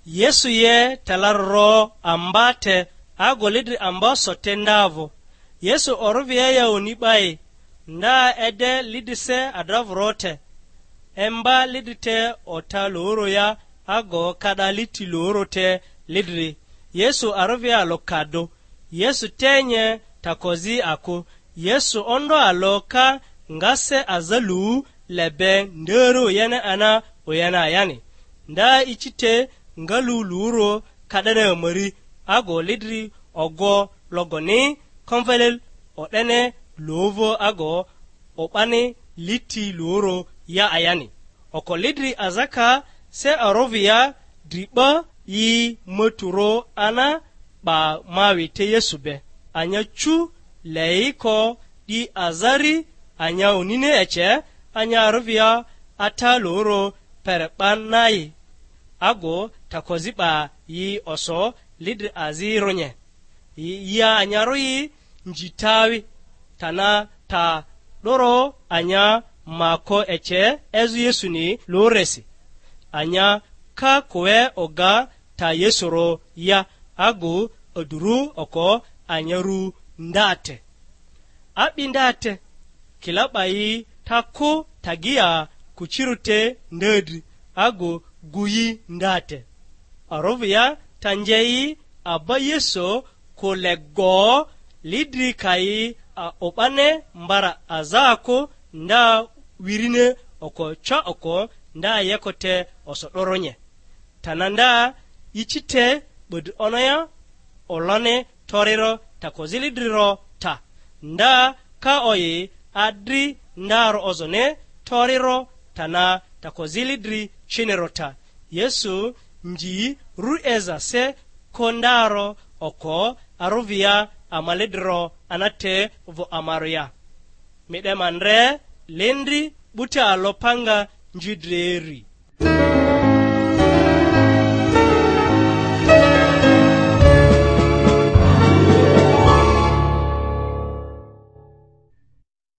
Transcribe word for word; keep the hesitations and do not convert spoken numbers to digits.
Yesu ye telaroro amba te, ago lidri amba so te ndavᴜ. Yesu orᴜvia ya oni 'bai, nda ede lidri se adravᴜro te, emba lidri te ota loro ya, ago kada liti loro te lidri. Yesu arᴜvia alᴜ ka dᴜ. Yesu te nye takozi akᴜ. Yesu ondo alᴜ ka nga se aza lu le be nderi oyene ana oyene ayani. Nda ici te nga lu luro ka'dene amari, ago lidri ogo logoni konvele o'dene lovo ago o'bani liti luro ya ayani. Oko lidri azaka se arovia dri 'ba yi maturo ana 'ba mawi te Yesu be. Anya cu leiko di azari anya onini ece, anya arovia ata loro pere 'ba nai, ago takozi 'ba yi oso lidri azi runye. Yi, yi anyarᴜ yi nji tawi, tana ta 'doro anya ma ko ece ezᴜ Yesuni luresi. Anya ka koe oga ta Yesurᴜ ya, agu oduru oko anya ru nda te. A'bi nda te, kila 'ba yi ta kᴜ tagia kucirᴜ te nda dri, agu gu yi nda te. Arovia ta nje yi aba Yesu kᴜ le go, lidri ka yi a o'bane mbara aza kᴜ, nda wirine oko ca oko nda yeko te oso 'doronye. Tana nda ici te 'bodri onoya olone toriro takozili driro ta. Nda ka oyi adri ndaro ozone toriro tana takozili dri ciniro ta. Yesu nji ru eza se ko ndaro oko aruvia amale driro anate vᴜ amaria. Mi 'de ma ndre lindri 'buti alopanga nji dri eri.